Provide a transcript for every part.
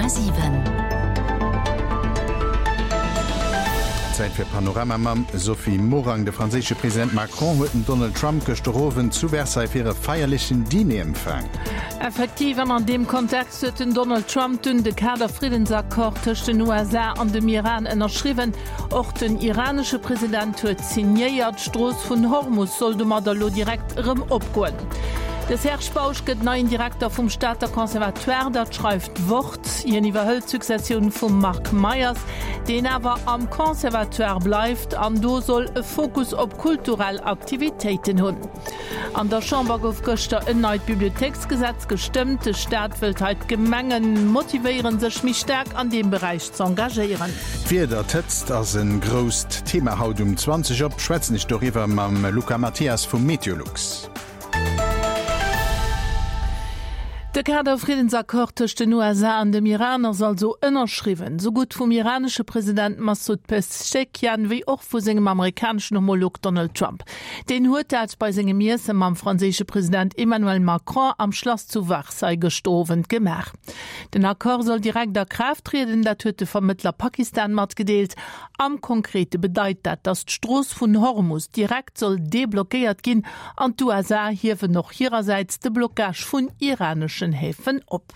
100,7. Zäit fir Panorama mam Sophie Morang. De franséische President Macron huet den Donald Trump gëschter Owend zu Versailles fir e feierlechen Diner empfaang. Effektiv, an an deem Kontext huet den Donald Trump dunn de Kader-Friddensaccord tëscht den USA an dem Iran ënnerschriwwen. Och den iranesche President huet signéiert. D'Strooss vun Hormus soll domadder elo direkt erëm opgoen. De Serge Bausch gëtt neien Direkter vum Stater Conservatoire, dat schreift d'Wort. Hien iwwerhëlt d'Successioun vum Marc Meyers, deen awer am Conservatoire bleift an do soll e Fokus op kulturell Aktivitéiten hunn. An der Chamber gouf gëschter en neit Bibliothéiksgesetz gestëmmt. De Staat wëllt hei d'Gemenge motivéieren, sech méi staark an deem Beräich z'engagéieren. D'Wieder, d'Hëtzt ass e grousst Thema haut. Um 20 op schwätzen ech doriwwer mam Luca Mathias vu Meteolux. De Kader-Friddensaccord tëscht den USA an dem Iran ass also ënnerschriwwen, sou gutt vum iranesche President Massoud Pezeshkian wéi och vu sengem amerikaneschen Homolog Donald Trump. Deen huet dat bei sengem Iesse mam franséische President Emmanuel Macron am Schlass zu Versailles gëschter Owend gemaach. Den Accord soll direkt a Kraaft trieden, dat huet de Vermëttler Pakistan matgedeelt. Am Konkrete bedeit dat, datt d'Strooss vun Hormus direkt soll deblockéiert ginn an d'USA hiewen och hirersäits de Blockage vun iraneschen Häfen op.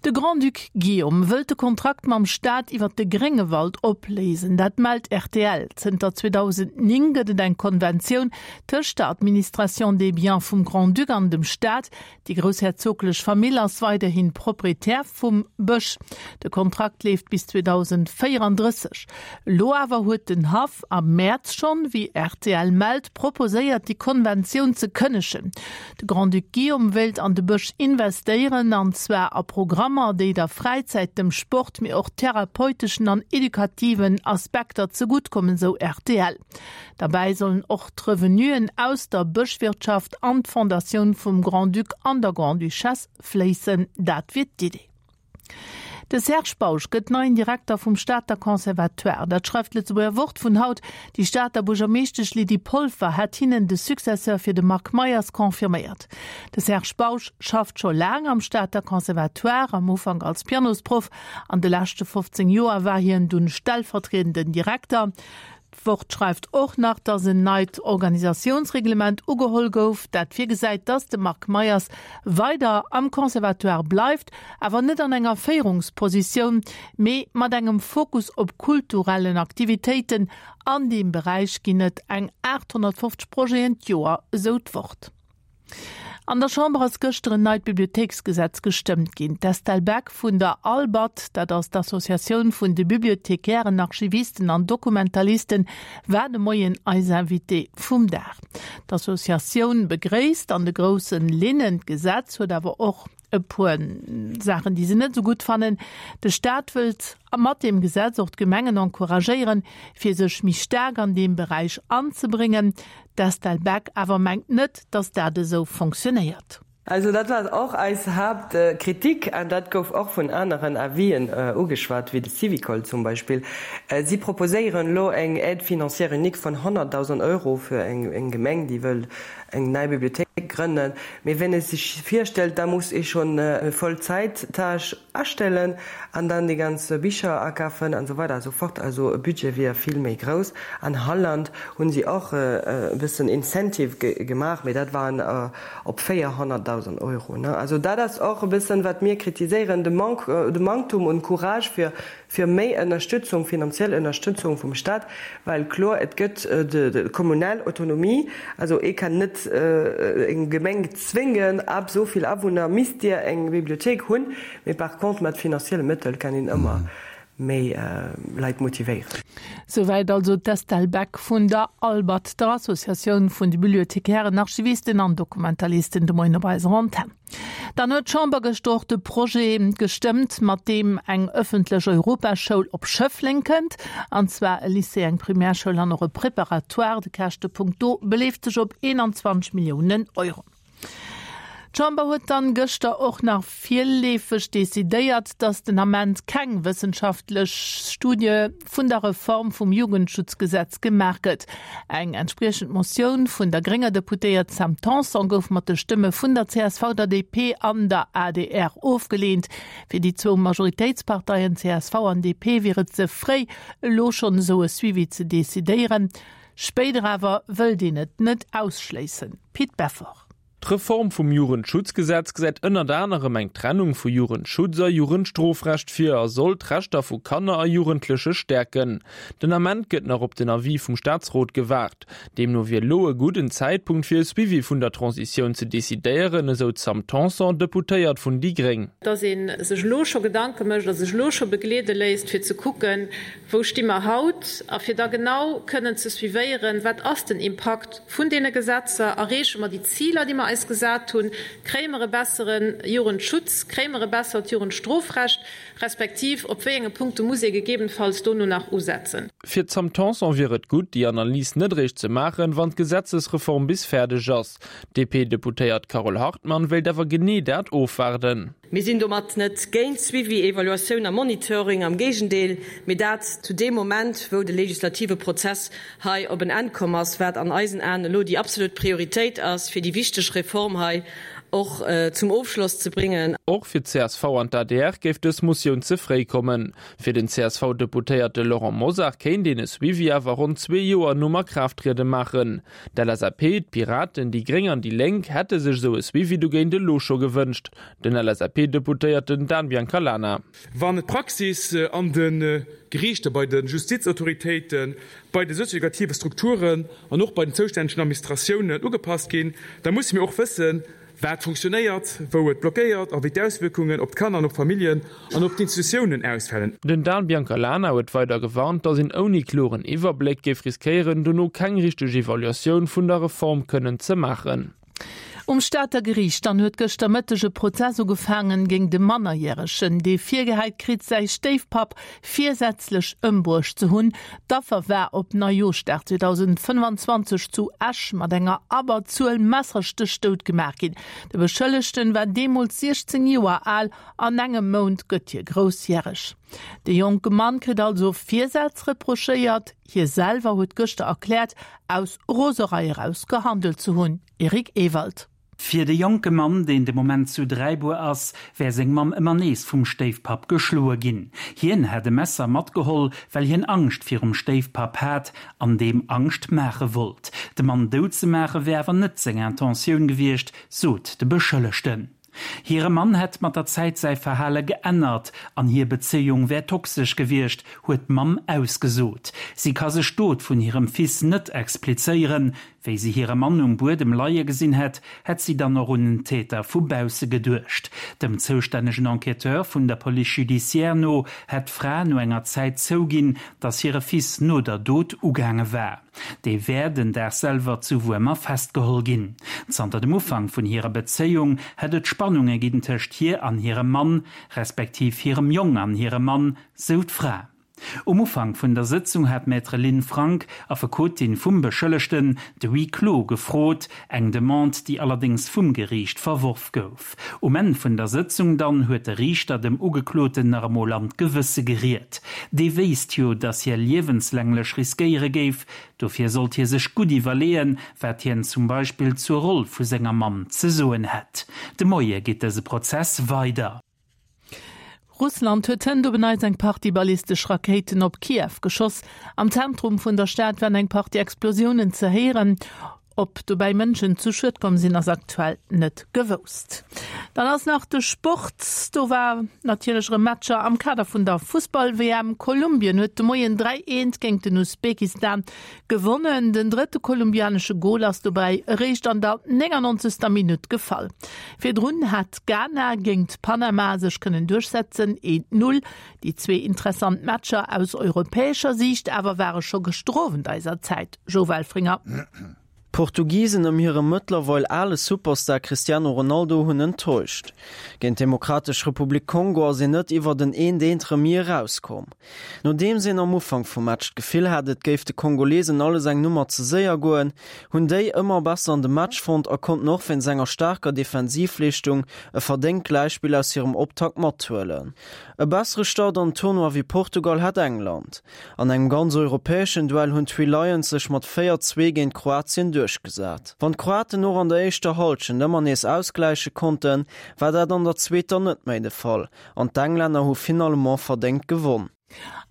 De Grand-Duc Guillaume wëllt de Kontrakt mam Staat iwwer de Gréngewald opléisen. Dat mellt rtl. Zënter 2009 gëtt et eng Konventioun tëscht der Administration des biens vum Grand-Duc an dem Staat. Déi groussherzoglech Famill ass weiderhi Proprietär vum Bësch. De Kontrakt leeft bis 2034. Elo awer huet den Haff am Mäerz schonn, wéi rtl mellt, proposéiert, déi Konventioun ze kënnegen. De Grand-Duc Guillaume wéilt an de Bësch investéieren, an zwar a Programmer, déi der Fräizäit, dem Sport, mee och therapeuteschen an edukativen Aspekter zegutt kommen, sou rtl. Derbäi sollen och d'Revenuen aus der Bëschwirtschaft an d'Fondatioun vum Grand-Duc an der Grande-Duchesse fléissen. Dat wier d'Idee. De Serge Bausch gëtt neien Direkter vum Stater Conservatoire. Dat schreift d'Lëtzebuerger Wort vun haut. Déi Stater Buergermeeschtesch Lydie Polfer hätt hinnen de Successeur fir de Marc Meyers confirméiert. De Serge Bausch schafft scho laang am Stater Conservatoire, am Ufank als Pianosproff. An de leschte 15 Joer war hien dunn stellvertriedenden Direkter. D'Wort schreift och nach, datt en neit Organisatiounsreglement ugeholl gouf, dat virgesäit, datt de Marc Meyers weider am Conservatoire bleift, awer net an enger Féierungspositioun, mee mat engem Fokus op kulturellen Aktivitéiten. An deem Beräich ginn et eng 850 Projeten d'Joer, esou d'Wort. An der Chamber ass gëschter en neit Bibliothéiksgesetz gestëmmt ginn. D'Estelle Beck vun der ALBAD, dat ass d'Associatioun vun de Bibliothekären, Archivisten an Dokumentalisten, war de Moien eis Invitée vum Dag. D'Associatioun begréisst an de groussen Linnen d'Gesetz, huet awer och e puer Saachen, déi se net esou gutt fannen. De Staat wëllt mat deem Gesetz och d'Gemengen encouragéieren, fir sech méi staark an deem Beräich anzebréngen. D'Estelle Beck awer mengt net, datt dat esou fonctionnéiert. Also dat war och eis Haaptkritik an dat gouf och vun aneren Avisen ugeschwat, wéi de Syvicol zum Beispill. Si proposéieren elo eng Aide financière unique vun 100.000 Euro fir eng Gemeng, déi wëll eng nei Bibliothéik grënnen. Mee wenn ee sech virstellt, da muss ee schonn e Vollzäit-Tâche astellen an dann déi ganz Bicher akafen an esou weider a sou fort. Also e Budget wier vill méi grouss. An Holland hunn si och e bëssen Incentive gemaach, mee dat waren op 400.000 Euro. Also dat ass och e bëssen, wat mir kritiséieren, de Manque, de Manktum un Courage fir fir méi Ënnerstützung, finanziell Ënnerstützung vum Stat, well kloer, et gëtt de kommunal Autonomie, also ee kann net eng Gemeng zwéngen, ab esou vill Awunner misst Dir eng Bibliothéik hunn, mee par contre mat finanzielle Mëttel kann een ëmmer méi Leit motivéieren. Souwäit also d'Estelle Beck vun der ALBAD, der Associatioun vun de Bibliothekären, Archivisten an Dokumentalisten, de Moien op eiser Antenn. Dann huet d'Chamber gëschter och de Projet gestëmmt, mat deem eng ëffentlech Europaschoul op Schëffleng kënnt, an zwar e Lycée, eng Primärschoul an och e Préparatoire. De Käschtepunkt do beleeft sech op 21 Milliounen Euro. D'Chamber huet dann gëschter och nach virleefeg decidéiert, datt den Ament keng wëssenschaftlech Studie vun der Reform vum Jugendschutzgesetz gemaach gëtt. Eng entspriechend Motioun vun der grénger Deputéiert Sam Tanson gouf mat de Stëmme vun der csv, der DP an der adr ofgeleent. Fir déi zwou Majoritéitsparteien csv an DP wier et ze fréi, elo schonn esou e Suivi ze decidéieren. Spéider awer wëllt een et net ausschléissen. Pit Beffort. D'Reform vum Jugendschutzgesetz gesäit ënnert anerem eng Trennung vu Jugendschutz a Jugendstrofrecht vir a soll d'Rechter vu Kanner a Jugendleche stäerken. Den Ament gëtt nach op den Avis vum Staatsrot gewaart. Deemno wier elo e gudden Zäitpunkt fir e Suivi vun der Transitioun ze decidéieren, esou d'Sam Tanson, Deputéiert vun déi Gréng. Dass ee sech elo scho Gedanke mécht a sech elo scho begleede léisst, fir ze kucken, Wou sti mer haut? A fir da genau kënnen ze suivéieren, Wat ass den Impakt vun deene Gesetzer? Erreeche mer déi Ziler, déi mer eis gesat hunn? Kréie mer e bessere Jugendschutz? Kréie mer e bessert Jugendstrofrecht? Respektiv op wéi enge Punkte muss ee gegebenfalls dono nach usetzen? Fir d'Sam Tanson wier et gutt, déi Analys net eréischt ze maachen, wann d'Gesetzesreform bis fäerdeg ass. D'DP-Deputéiert Carole Hartmann wéilt awer genee dat ofwaarden. Mir sinn domat net géint Suivi, Evaluatioun a Monitoring, am Géigendeel, mee dat zu deem Moment, wou de legislative Prozess hei op en Enn komm ass, wat an eisen Aen elo déi absolut Prioritéit ass, fir déi wichteg Reform hei och zum Ofschloss ze bréngen. Och fir d'CSV an d'ADR géif dës Motioun ze fréi kommen. Fir den CSV-Deputéierte Laurent Mosar kéint een e Suivi awer ronn zwee Joer nom Akraafttriede maachen. D'LSAP, d'Piraten, déi Gréng an déi Lénk hätte sech esou e Suivi dogéint elo scho gewënscht. Den LSAP-Deputéierten Dan Biancalana. Wann d'Praxis an de Geriichter, bei de Justizautoritéiten, bei de sozio-edukative Strukturen an och bei den zoustännegen Administratiounen ugepasst ginn, da musse mir och wëssen, wat funktionéiert, wou et blockéiert a wéi d'Auswierkungen op d'Kanner an op d'Familljen an op d'Institutiounen ausfalen. Den Dan Biancalana huet weider gewarnt, datt een ouni kloren Iwwerbléck géif riskéieren, dono keng richteg Evaluatioun vun der Reform kënnen ze maachen. Um Stater Geriicht dann huet gëschter Mëtteg e Prozess ugefaangen géint e Mannerjäregen, dee virgehäit kritt, säi Stéifpapp virsätzlech ëmbruecht ze hunn. D'Affer war op Neijooschdag 2025 zu Esch mat enger Abberzuel Messerstéch dout gemaach ginn. De Beschëllegten war deemools 16 Joer al, an engem Mount gëtt hie groussjäreg. De jonke Mann kritt also Virsaz reprochéiert. Hie selwer huet gëschter erkläert, aus Roserei eraus gehandelt ze hunn. Eric Ewald. Fir de jonke Mann, deen de Moment zu Dräibuer ass, wär seng Mamm ëmmer nees vum Stéifpapp geschloe ginn. Hien hätt e Messer matgeholl, well hien Angscht virum Stéifpapp hat an deem Angscht maache wollt. De Mann dout ze maache wär awer net seng Intentioun gewiescht, sot de Beschëllegten. Hire Mann hätt mat der Zäit säi Verhale geännert an hir Bezéiung wär toxesch gewiescht, huet d'Mamm ausgesot. Si ka sech d'Dot vun hirem Fils net explizéieren. Wéi si hire Mann um Buedem leie gesinn hätt, hätt si dann och un en Täter vu bausse geduecht. Dem zoustännegen Enquêteur vun der Police judiciaire no hätt d'Fra no enger Zäit zouginn, datt hire Fils no der Dot ugaange war. Dee wär den Dag selwer zu Wuermer festgeholl ginn. Zanter dem Ufank vun hirer Bezéiung hätt et Spannunge ginn tëscht hir an hirem Mann, respektiv hirem Jong an hirem Mann, sou d'Fra. Um Ufank vun der Sëtzung hat d'Maître Lynn Frank, Affekotin vum Beschëllegten, de Huis clos gefrot, eng Demande, déi allerdéngs vum Geriicht verworf gouf. Um Enn vun der Sëtzung dann huet de Riichter dem Ugekloten nach emol an d'Gewësse geriet. Dee wéisst jo, datt hie liewenslänglech riskéiere géif. Dofir sollt hie sech gutt iwwerleeën, wat hien zum Beispill zur Roll vu senger Mamm ze soen hätt. De Moie geet dëse Prozess weider. Russland huet hënt op en Neits eng Partie ballistesch Rakéiten op Kiew geschoss. Am Zentrum vun der Stad waren eng Partie Explosiounen ze héieren. Ob dobäi Mënschen zu Schued komm sinn, ass aktuell net gewousst. Dann ass nach de Sport. Do war natierlech erëm Matcher am Kader vun der Fussball-WM. Kolumbien huet de Moien 3, 1 géint den Usbekistan Gewonnen. Den drëtte kolumbianesche Gol ass dobäi eréischt an der 99. Minutt gefall. Virdrun hat Ghana géingt Panama sech kënnen duerchsetzen, 1, 0. Déi zwee interessant Matcher aus europäescher Siicht awer ware scho gëschter Owend eiser Zäit. Joe Welfringer. D'Portugisen ëm hire mëttlerweil ale Superstar Cristiano Ronaldo hunn enttäuscht. Géint d'Demokratesch Republik Kongo ass een net iwwert en eent eent Remis erauskomm. Nodeems een am Ufank vum Match d'Gefill hat, et géif de Kongolesen alles eng Nummer ze séier goen, hunn déi ëmmer besser an de Match fonnt a konnten och wéinst enger staarker Defensivleeschtung e verdéngt Gläichspill aus hirem Optakt mathuelen. E bessere Start an den Tournoi wéi Portugal hat England. An engem ganz europäeschen Duell hunn d'Three Lions sech mat 4, 2 géint Kroatien duerchgesat. Wann d'Kroaten och an der éischter Hallschent ëmmer nees ausgläiche konnten, war dat an der zweeter net méi de Fall an d'Englänner hu finalement verdéngt gewonn.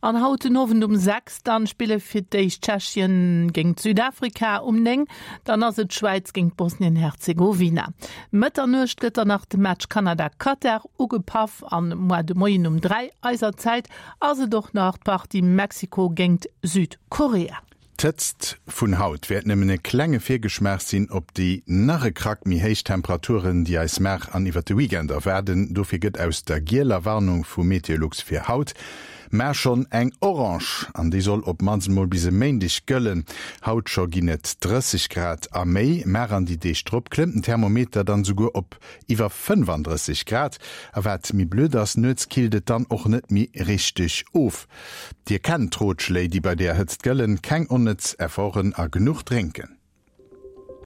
An haut den Owend um 6 dann spille fir d'éischt Tschechien géingt Südafrika, um 9 dann ass et d'Schwäiz géingt Bosnien-Herzegowina. Mëtternuecht gëtt dann nach de Match Kanada-Katar ugepaff an moar de Moien um 3 eiser Zäit ass et och nach d'Partie Mexiko géingt Südkorea. D'Hëtzt vun haut wäert nëmmen e klenge Virgeschmaach sinn op déi nach e Krack méi héich Temperaturen, déi eis mar an iwwert de Weekend erwaarden. Dofir gëtt aus der gieler Warnung vu Meteolux fir haut mar schonn eng orange an déi soll op mannst mol bis e Méindeg gëllen. Haut scho ginn et 30 Grad a méi, mar an déi Deeg drop klëmmt den Thermometer dann esouguer op iwwer 35 Grad. A wat méi blöd ass, nuets killt et dann och net méi richteg of. Dir kennt d'Rotschléi, déi bei deeër Hëtzt gëllen, keng onnëtz Efforten a genuch drénken.